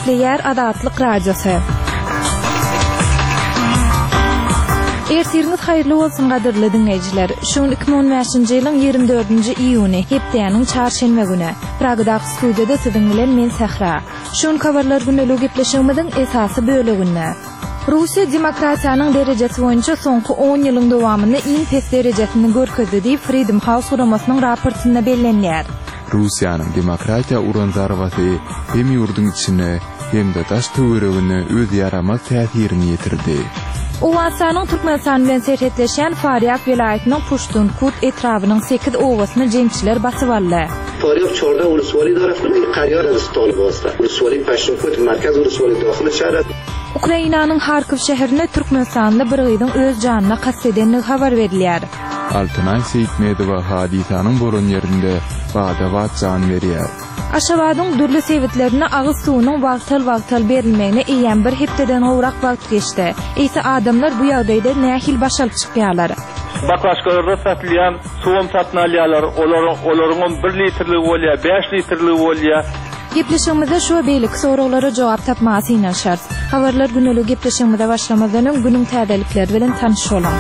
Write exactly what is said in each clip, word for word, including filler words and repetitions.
Gepleýär Azatlyk Radiosy. Ertiriňiz haýyrly bolsun gadyrly diňleýjiler. Şu gün iki müň on bäşinji ýylyň ýigrimi dördünji iýuny, hepdäniň çarşenbe güni. Pragadaky studiýada siziň bilen men Sähra. Şu gün habarlar gündeligi gepleşigimiziň esasy böleginde. Russiýa demokratiýanyň derejesi boýunça soňky on ýylyň dowamynda iň pes derejesini görkezdi diýip Freedom House guramasynyň raportynda bellenýär. Russiýanyň demokratiýa uran zarbasy hem ýurduň içine hem-de daş töweregine öz ýaramaz täsirini ýetirdi. Owganystanyň Türkmenistan bilen serhetleşýän Farýab welaýatynyň Puştunkut etrabynyň sekiz obasyny jeňçiler basyp aldy. Farýab çorda uluswali tarapyny Karýar Rüstol bolsa. Uluswali Paştunkut merkez uluswali dahyly şäher. Ukrainanyň Harkow şäherinde türkmenistanly bir gyzyň öz janyna kast edendigi habar berilýär. Altynaý Seýitmedowa hadysanyň bolan ýerinde bada-bat jan berýär. Aşgabadyň dürli sebitlerinde agyz suwunyň wagtal-wagtal berilmegine eýýäm bir hepdeden gowrak wagt geçdi. Eýse adamlar bu ýagdaýda nähili baş alyp çykýarlar? Baklaşkalarda satylýan suwum satyn alýarlar, olaryň, olaryň bir litrligi bolýar, bäş litrligi bolýar. Gepleşigimizde şu we beýleki soraglara jogap tapmaga synanyşarys. Habarlar güneligi gepleşigimize başlamazdan öň günüň täzelikleri bilen tanyş boluň.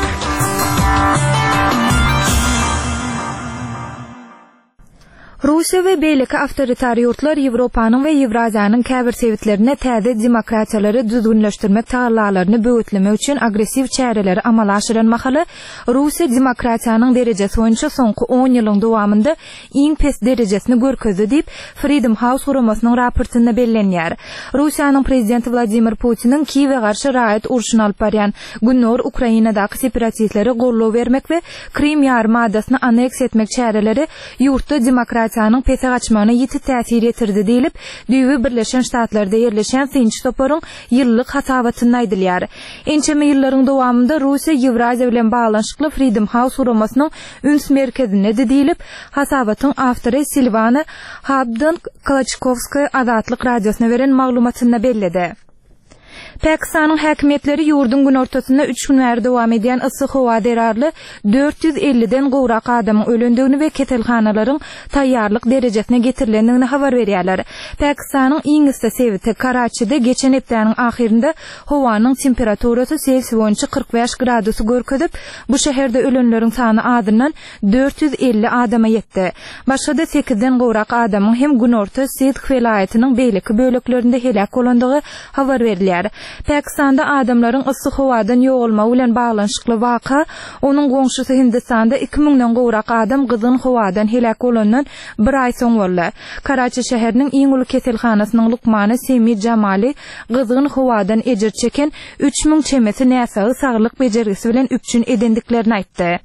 Russiýa we beýleki awtoritar ýurtlar Ýewropanyň we Ýewraziýanyň käbir sebitlerinde täze demokratiýalary düzgünleşdirmek tagallalaryny böwetlemek üçin agressiw çäreleri amala aşyran mahaly Russiýa demokratiýanyň derejesi boýunça soňky on ýylyň dowamynda iň pes derejesini görkezdi diýip Freedom House guramasynyň raportynda bellenýär. Russiýanyň prezidenti Wladimir Putiniň Kiýewe garşy raýat urşuny alyp barýan Gündogar Ukrainadaky separatistlere goldaw bermek we Krym ýarym adasyny aneksiýa etmek çäreleri ýurtda demokratiýanyň pese gaçmagyna ýiti täsir ýetirdi diýlip, düýbi Birleşen Ştatlarda ýerleşýän synçy toparyň ýyllyk hasabatynda aýdylýar. Ençeme ýyllaryň dowamynda Russiýa Ýewraziýa bilen baglanyşykly Freedom House guramasynyň üns merkezindedi diýlip, hasabatyň awtory Silwana Habdon Kolaçkowskaya Azatlyk radiosyna beren maglumatynda belledi. Pakistanyň häkimiýetleri ýurduň günortasynda üç gün bäri dowam edýän yssy howa zerarly dört ýüz elliden gowrak adamyň ölendigini we keselhanalaryň taýýarlyk derejesine getirilendigini habar berýärler. Pakistanyň iň yssy sebiti Karaçide geçen hepdäniň ahyrynda howanyň temperaturasy Selsiý boýunça kyrk bäş gradusy görkezip, bu şäherde ölenleriň sany azyndan dört ýüz elli adama ýetdi. Başga-da sekizden gowrak adamyň hem günorta Sidh welaýatynyň beýleki böleklerinde heläk bolandygy habar berilýär. Pakistanda adamlaryň yssy howadan ýogalmagy bilen baglanyşykly waka, onuň goňşusy Hindistanda iki müňden gowrak adam gyzgyn howadan heläk bolandan bir aý soň boldy. Karaçi şäheriniň iň uly keselhanasynyň lukmany Semi Jamali gyzgyn howadan ejir çeken üç müň çemesi näsagy saglyk bejergisi bilen üpjün edendiklerini aýtdy.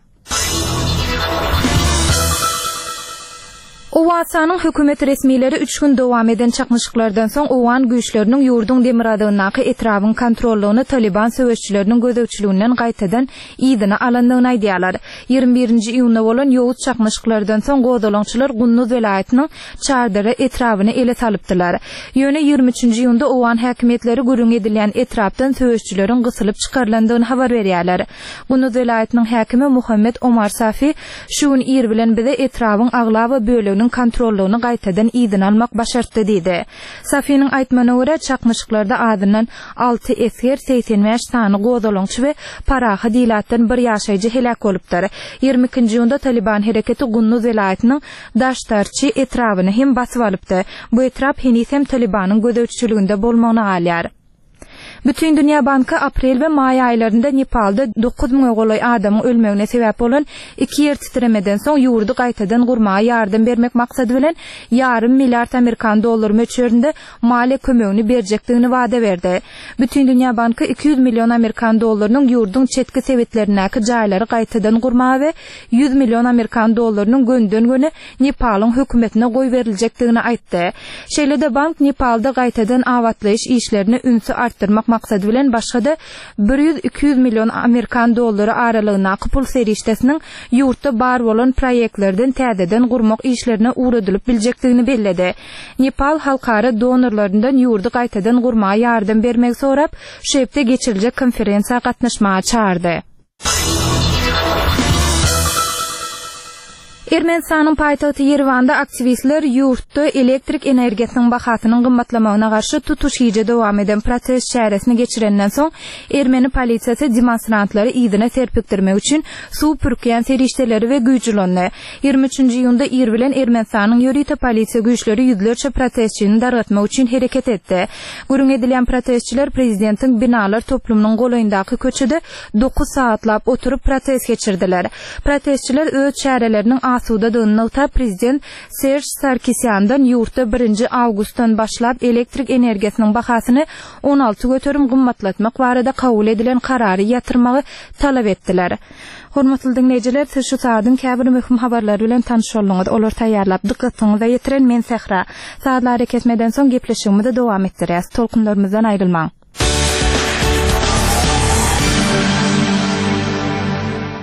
Owganystanyň hökümet resmileri üç gün dowam eden çaknyşyklardan soň Owgan güýçleriniň ýurduň demirgazygyndaky etrabyň kontrollygyny Taliban söweşçileriniň gözegçiliginden gaýtadan yzyna alandygyny aýdýarlar. Ýigrimi birinji iýunda bolan ýowuz çaknyşyklardan soň gozgalaňçylar Gunduz welaýatynyň Çardara etrabyny ele salypdylar. Ýöne ýigrimi üçünji iýunda Owgan häkimiýetleri gürrüň edilýän etrapdan söweşçileriň gysylyp çykarylandygyny habar berýärler. Gunduz welaýatynyň häkimi Muhammed Omar Safi şu gün ir bilen bize etrabyň aglaba böleginiň kontrollygyny gaýtadan yzyna almak başartdy diýdi. Safiniň aýtmagyna görä çaknyşyklarda azyndan alty esger, seksen bäş sany gozgalaňçy we parahat ilatdan bir ýaşaýjy heläk bolupdyr. Ýigrimi ikinji iýunda Taliban hereketi Gunduz welaýatynyň Daştarçy etrabyny hem basyp alypdy. Bu etrap heniz hem Talibanyň gözegçiliginde bolmagyna galýar. Bütün Dünya Banky aprel we maý aýlarynda Nepalda dokuz müňe golaý adamyň ölmegine sebäp bolan iki ýer titremeden soň ýurdy gaýtadan gurmaga ýardam bermek maksady bilen ýarym milliard amerikan dollar möçberinde maliýe kömegini berjekdigini wada berdi. Bütün Dünya Banky iki ýüz million amerikan dollarynyň ýurduň çetki sebitlerindäki jaýlary gaýtadan gurmaga we ýüz million amerikan dollarynyň gönden-göni Nepalyň hökümetine goý beriljekdigini aýtdy. Şeýle-de bank Nepalda gaýtadan abatlaýyş işlerini ünsi artdyrmak maksady bilen başga-da bir ýüz iki ýüz million amerikan dollary aralygyndaky pul serişdesiniň ýurtda bar bolan proýektlerden täzeden gurmak işlerine ugradylyp biljekdigini belledi. Nepal halkara donorlaryndan ýurdy gaýtadan gurmaga ýardam bermegi sorap, şu hepde geçiriljek konferensiýa gatnaşmaga çağırdy. Ermenistanyň paýtagty Ýerewanda aktiwistler ýurtda elektrik energiýasynyň bahasynyň gymmatlamagyna garşy tutuş gije dowam eden protest çäresini geçirenden soň, ermeni polisiýasy demonstrantlary yzyna serpikdirmek üçin suw pürkýän serişdeleri we güýç ulandy. Ýigrimi üçünji iýunda ir bilen Ermenistanyň ýörite polisiýa güýçleri ýüzlerçe protestçini dargatmak üçin hereket etdi. Gürrüň edilýän protestçiler prezidentiň binalar toplumynyň golaýyndaky köçede dokuz sagatlap oturyp protest geçirdiler. Protestçiler öz çäreleriniň asudadygyny nygtap, prezident Serž Sarkisýandan ýurtda birinji awgustdan başlap elektrik energiýasynyň bahasyny on alty göterim gymmatlatmak barada kabul edilen karary ýatyrmagy talap etdiler. Hormatly diňleýjiler, siz şu saadyň käbir möhüm habarlary bilen tanyş bolduňyz. Olary taýýarlap, dykgatyňyza ýetiren men Sähra. Sazly arakesmeden soň gepleşigimizi dowam etdirýäs. Tolkunlarymyzdan aýrylmaň.